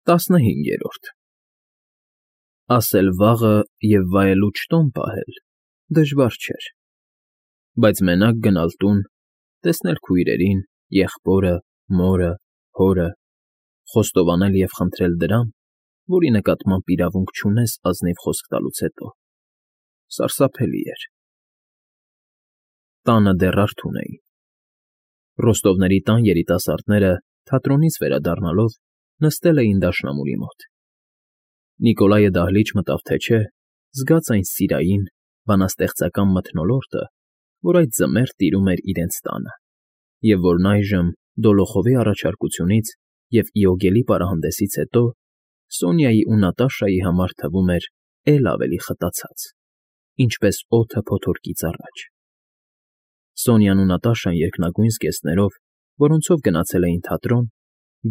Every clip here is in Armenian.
15 Ասել վաղը և վայելուչ տոն պահել դժվար չէր, բայց մենակ գնալ տուն, տեսնել քույրերին, եղբորը, մորը, հորը, խոստովանել և խնդրել դրան, որի նկատմամբ իրավունք չունես ազնիվ խոսք տալուց հետո, սարսափելի էր։ Տանը դեռ արթուն էին։ Ռոստովների տան երիտասարդները, թատրոնից վերադառնալով, նստել էին դաշնամուրի մոտ։ Նիկոլայը դահլիճ մտավ թե չէ, զգաց այն սիրային, բանաստեղծական մթնոլորտը, որ այդ ձմեռ տիրում էր իրենց տանը, և որն այժմ, Դոլոխովի առաջարկությունից և Իոգելի պարահանդեսից հետո, Սոնյայի ու Նատաշայի համար թվում էր էլ ավելի խտացած, ինչպես օդը փոթորկից առաջ։ Սոնյան ու Նատաշան երկնագույն զգեստներով, որոնցով գնացել էին թատրոն,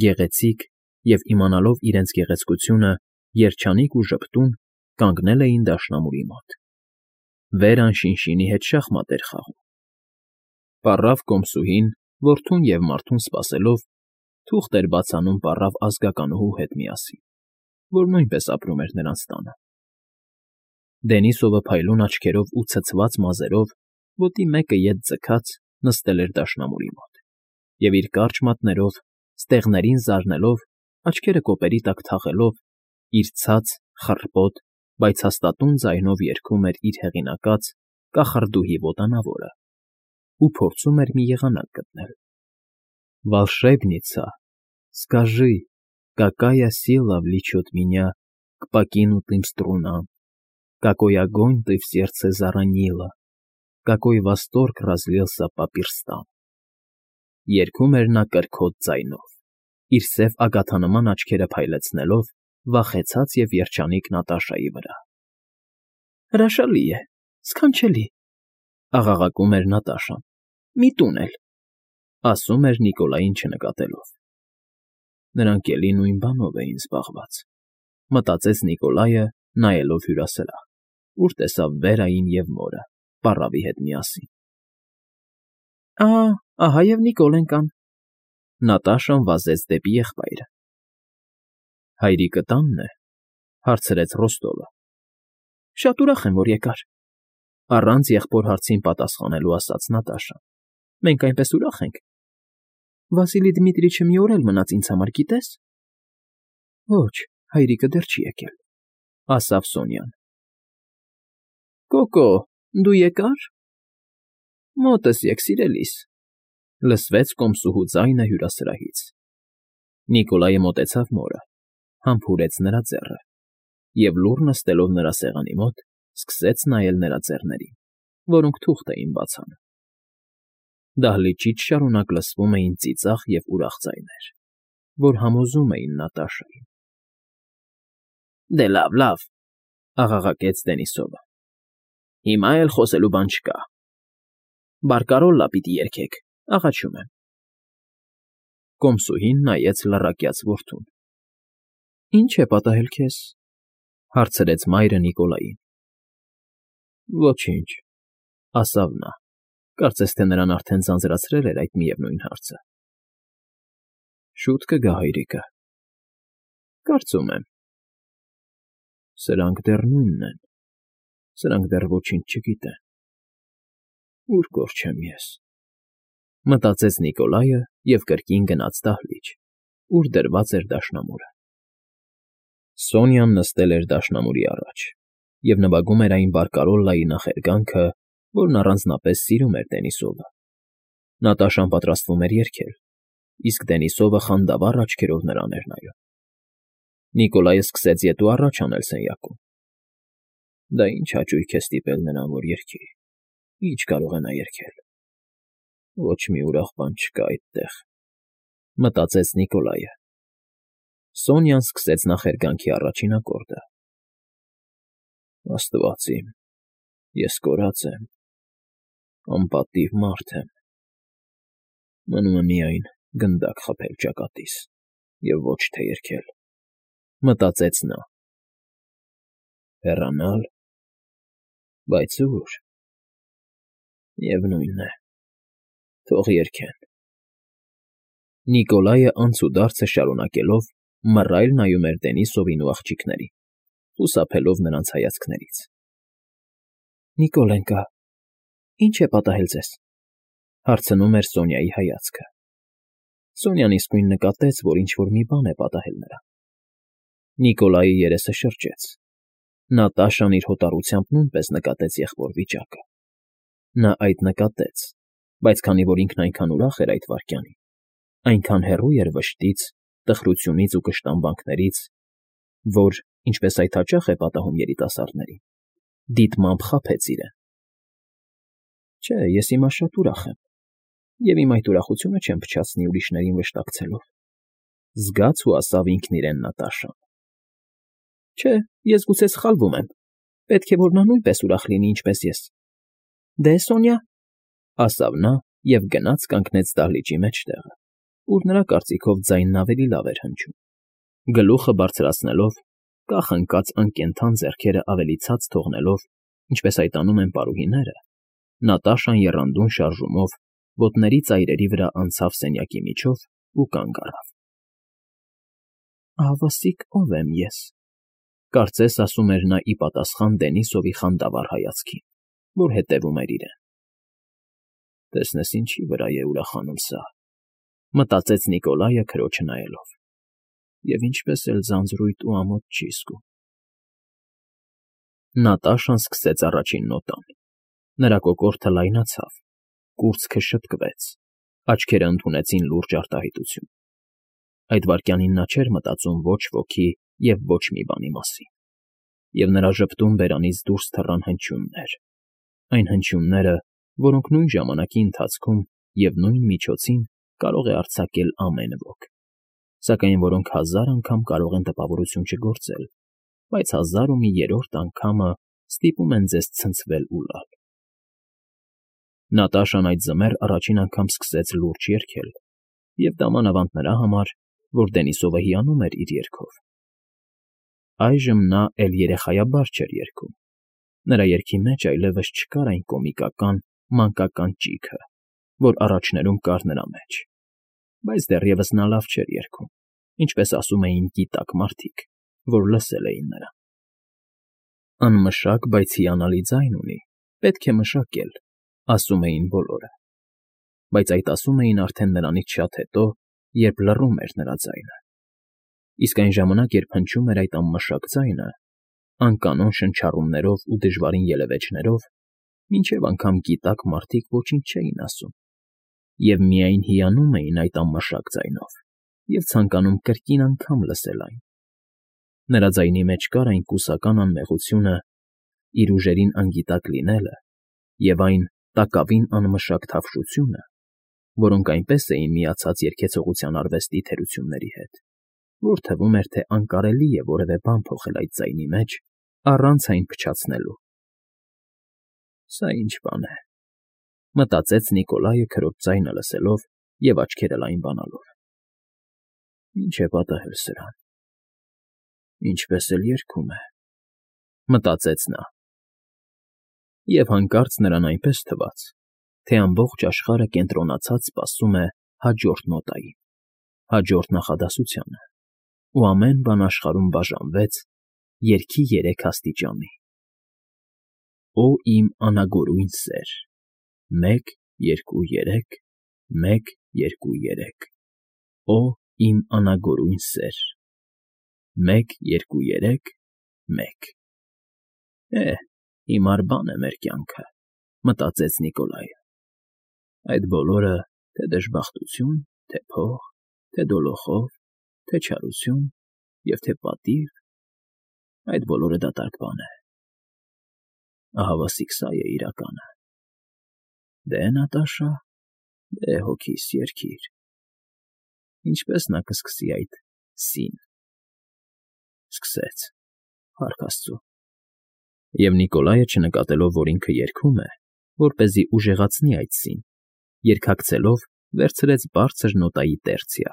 գեղեցիկ և, իմանալով իրենց գեղեցկությունը, երջանիկ ու ժպտուն, կանգնել էին դաշնամուրի մոտ։ Վերան Շինշինի հետ շախմատ էր խաղում։ Պառավ կոմսուհին, որդուն և մարդուն սպասելով, թուղթ էր բաց անում պառավ ազգականուհու հետ միասին, որ նույնպես ապրում էր նրանց տանը։ Դենիսովը փայլուն աչքերով ու ցցված մազերով, ոտի մեկը ետ ձգած, նստել էր դաշնամուրի մոտ և իր կարճ մատներով, ստեղներին զարնելով, աչքերը կոպերի տակ թաղելով, իր ցած, խռպոտ, բայց հաստատուն ձայնով երգում էր իր հեղինակած «Կախարդուհի ոտանավորը» ու փորձում էր մի եղանակ գտնել. «Волшебница, скажи, какая сила влечет меня к покинутым струнам, какой огонь ты в сердце заронила, какой восторг разлился по перстам»։ Երգում էր նա կրքոտ ձայնով, իր սև ագաթանման աչքերը փայլեցնելով վախեցած և երջանիկ Նատաշայի վրա։ «Հրաշալի է, սքանչելի», ֊ աղաղակում էր Նատաշան։ «Մի տուն էլ», ֊ ասում էր Նիկոլային չնկատելով։ Նրանք էլի նույն բանով էին զբաղված, մտածեց Նիկոլայը, նայելով հյուրասրահ, ուր տեսավ Վերային և մորը, պառավի հետ միասին։ Ահա և Նիկոլեն կան։ Նատաշան վազեց դեպի եղբայրը։ Հայրիկը տա՞նն է,֊ հարցրեց Ռոստովը։ Շատ ուրախ եմ, որ եկար,֊ առանց եղբոր հարցին պատասխանելու ասաց Նատաշան։ Մենք այնպես ուրախ ենք։ Վասիլի Դմիտրիչը մի օր էլ մնաց ինձ համար, գիտես։ Ոչ, հայրիկը դեռ չի եկել,֊ ասավ Սոնյան։ Կոկո, դու եկա՞ր։ Մոտս եկ, սիրելիս,֊ լսվեց կոմսուհու ձայնը հյուրասրահից։ Նիկոլայը մոտեցավ մորը, համբուրեց նրա ձեռը և, լուռ նստելով նրա սեղանի մոտ, սկսեց նայել նրա ձեռներին, որոնք թուղթ էին բաց անում։ Դահլիճից շարունակ լսվում էին ծիծաղ և ուրախ ձայներ, որ համոզում էին Նատաշային։ Դե լավ, լավ,֊ աղաղակեց Դենիսովը։ Հիմա էլ խոսելու բան չկա։ Բարկարոլլա պիտի երգեք, աղաչում եմ։ Կոմսուհին նայեց լռակյաց որդուն։ Ինչ է պատահել քեզ,֊ հարցրեց մայրը Նիկոլային։ Ոչինչ,֊ ասավ նա, կարծես թե նրան արդեն ձանձրացրել էր այդ միևնույն հարցը։ Շուտ կգա հայրիկը։ Կարծում եմ։ Սրանք դեռ նույնն են, սրանք դեռ ոչինչ չգիտեն։ Ուր կորչեմ ես,֊ մտածեց Նիկոլայը և կրկին գնաց դահլիճ, ուր դրված էր դաշնամուրը։ Սոնյան նստել էր դաշնամուրի առաջ և նվագում էր այն բարկարոլլայի նախերգանքը, որն առանձնապես սիրում էր Դենիսովը։ Նատաշան պատրաստվում էր երգել, իսկ Դենիսովը խանդավառ աչքերով նրան էր նայում։ Նիկոլայը սկսեց ետ ու առաջ անել սենյակում։ Դա ինչ հաճույք է ստիպել նրան, որ երգի։ Ինչ կարող է նա երգել։ Ոչ մի ուրախ բան չկա այդտեղ,֊ մտածեց Նիկոլայը։ Սոնյան սկսեց նախերգանքի առաջին ակորդը։ Աստված իմ, ես կորած եմ, անպատիվ մարդ եմ։ Մնում է միայն գնդակ խփել ճակատիս և ոչ թե երգել,֊ մտածեց նա։ Հեռանալ։ Բայց ո՞ւր։ Միևնույն է, թող երգեն։ Նիկոլայը անցուդարձը շարունակելով Մռայլ նայում էր Դենիսովին ու աղջիկներին, խուսափելով նրանց հայացքներից։ ֊ Նիկոլենկա, ի՞նչ է պատահել ձեզ,֊ հարցնում էր Սոնյայի հայացքը։ Սոնյան իսկույն նկատեց, որ ինչ֊որ մի բան է պատահել նրան։ Նիկոլայի երեսը շրջեց։ Նատաշան իր հոտառությամբ նույնպես նկատեց եղբոր վիճակը։ Նա այդ նկատեց, բայց քանի որ ինքն այնքան ուրախ էր այդ վայրկյանին, այնքան հեռու էր վշտից, տխրությունից ու կշտամբանքներից, որ, ինչպես այդ հաճախ է պատահում երիտասարդներին, դիտմամբ խաբեց իրեն։ Չէ, ես հիմա շատ ուրախ եմ, և իմ այդ ուրախությունը չեմ փչացնի ուրիշներին վշտակցելով,֊ զգաց ու ասավ ինքն իրեն Նատաշան։ Չէ, ես գուցե սխալվում եմ, պետք է որ նա նույնպես ուրախ լինի, ինչպես ես։ Դե, Սոնյա,֊ ասավ նա և գնաց կանգնեց դահլիճի մեջտեղը, ուր նրա կարծիքով ձայնն ավելի լավ էր հնչում։ Գլուխը բարձրացնելով, կախ ընկած անկենդան ձեռքերը ավելի ցած թողնելով, ինչպես այդ անում են պարուհիները, Նատաշան եռանդուն շարժումով ոտների ծայրերի վրա անցավ սենյակի միջով ու կանգ առավ։ Ահավասիկ ով եմ ես,֊ կարծես ասում էր նա ի պատասխան Դենիսովի խանդավառ հայացքին, որ հետևում էր իրեն։ Տեսնես ինչի վրա է ուրախանում սա,֊ մտածեց Նիկոլայը քրոջը նայելով, և ինչպես էլ ձանձրույթ ու ամոթ չի զգում։ Նատաշան սկսեց առաջին նոտան։ Նրա կոկորդը լայնացավ, կուրծքը շտկվեց, աչքերը ընդունեցին լուրջ արտահայտություն։ Այդ վայրկյանին նա չէր մտածում ոչ ոքի և ոչ մի բանի մասին, և նրա ժպտուն բերանից դուրս թռան հնչյուններ, այն հնչյունները, որոնք նույն ժամանակի ընթացքում և նույն միջոցին կարող է արձակել ամեն ոք, սակայն որոնք հազար անգամ կարող են տպավորություն չգործել, բայց հազար ու մի երրորդ անգամը ստիպում են ձեզ ցնցվել ու լալ։ Նատաշան այդ ձմեռ առաջին անգամ սկսեց լուրջ երգել, և դա մանավանդ նրա համար, որ Դենիսովը հիանում էր իր երգով։ Այժմ նա էլ երեխայաբար չէր երգում։ Նրա երգի մեջ այլևս չկար այն կոմիկական, մանկական ճիգը, որ առաջներում կար նրա մեջ, բայց դեռևս նա լավ չէր երգում, ինչպես ասում էին գիտակ մարդիկ, որ լսել էին նրան։ Անմշակ, բայց հիանալի ձայն ունի, պետք է մշակել, ասում էին բոլորը, բայց այդ ասում էին արդեն նրանից շատ հետո, երբ լռում էր նրա ձայնը։ Իսկ այն ժամանակ, երբ հնչում էր այդ անմշակ ձայնը, անկանոն շնչառումներով ու դժվարին ելևէջներով, մինչև անգամ գիտակ մարդիկ ոչինչ չէին ասում, և միայն հիանում էին այդ անմշակ ձայնով և ցանկանում կրկին անգամ լսել այն։ Նրա ձայնի մեջ կար այն կուսական անմեղությունը, իր ուժերին անգիտակ լինելը և այն տակավին անմշակ թավշությունը, որոնք այնպես էին միացած երգեցողության արվեստի թերությունների հետ, որ թվում էր, թե անկարելի է որևէ բան փոխել այդ ձայնի մեջ առանց այն փչացնելու։ Սա ինչ բան է,֊ մտածեց Նիկոլայը քրոջ ձայնը լսելով և աչքերը լայնանալով։ Ինչ է պատահել սրան։ Ինչպես էլ երգում է,֊ մտածեց նա։ Եվ հանկարծ նրան այնպես թվաց, թե ամբողջ աշխարհը կենտրոնացած սպասում է հաջորդ նոտային, հաջորդ նախադասությանը, ու ամեն բան աշխարհում բաժանվեց երգի երեք աստիճանի. Օ իմ անագորույն սեր, 1, 2, 3, 1, 2, 3, Օ իմ անագորույն սեր, 1, 2, 3, 1 Հիմար բան է մեր կյանքը,֊ մտածեց Նիկոլայը։ Այդ բոլորը, թե դժբախտություն, թե փող, թե դոլոխով, թե չարություն և թե պատիվ, այդ բոլորը դատարկ բան է։ Ահավասիկ սա է իրականը։ Դե, Նատաշա, դե, հոգիս, երգիր։ Ինչպե՞ս նա կսկսի այդ սին։ Սկսեց, փառք Աստծո։ Եվ Նիկոլայը, չնկատելով, որ ինքը երգում է, որպեսզի ուժեղացնի այդ սին, երգակցելով վերցրեց բարձր նոտայի տերցիա։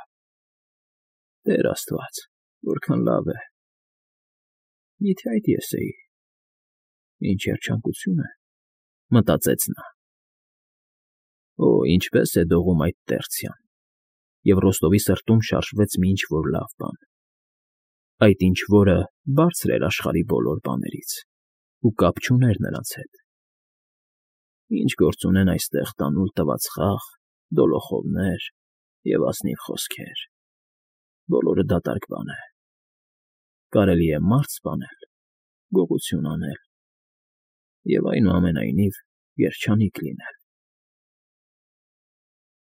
Տեր Աստված, որքան լավ է։ Միթե այդ ես էի։ Ինչ երջանկություն է,֊ մտածեց նա։ Օ, ինչպես է դողում այդ տերցիան, և Ռոստովի սրտում շարժվեց մի ինչ֊որ լավ բան, Այդ ինչ֊որը բարձր էր աշխարհի բոլոր բաներից ու կապ չուներ նրանց հետ։ Ինչ գործ ունեն այստեղ տանուլ տված խաղ, դոլոխովներ և ազնիվ խոսքեր… Բոլորը դատարկ բան է, կարելի է մարդ սպանել, գողություն անել և, այնուամենայնիվ, երջանիկ լինել։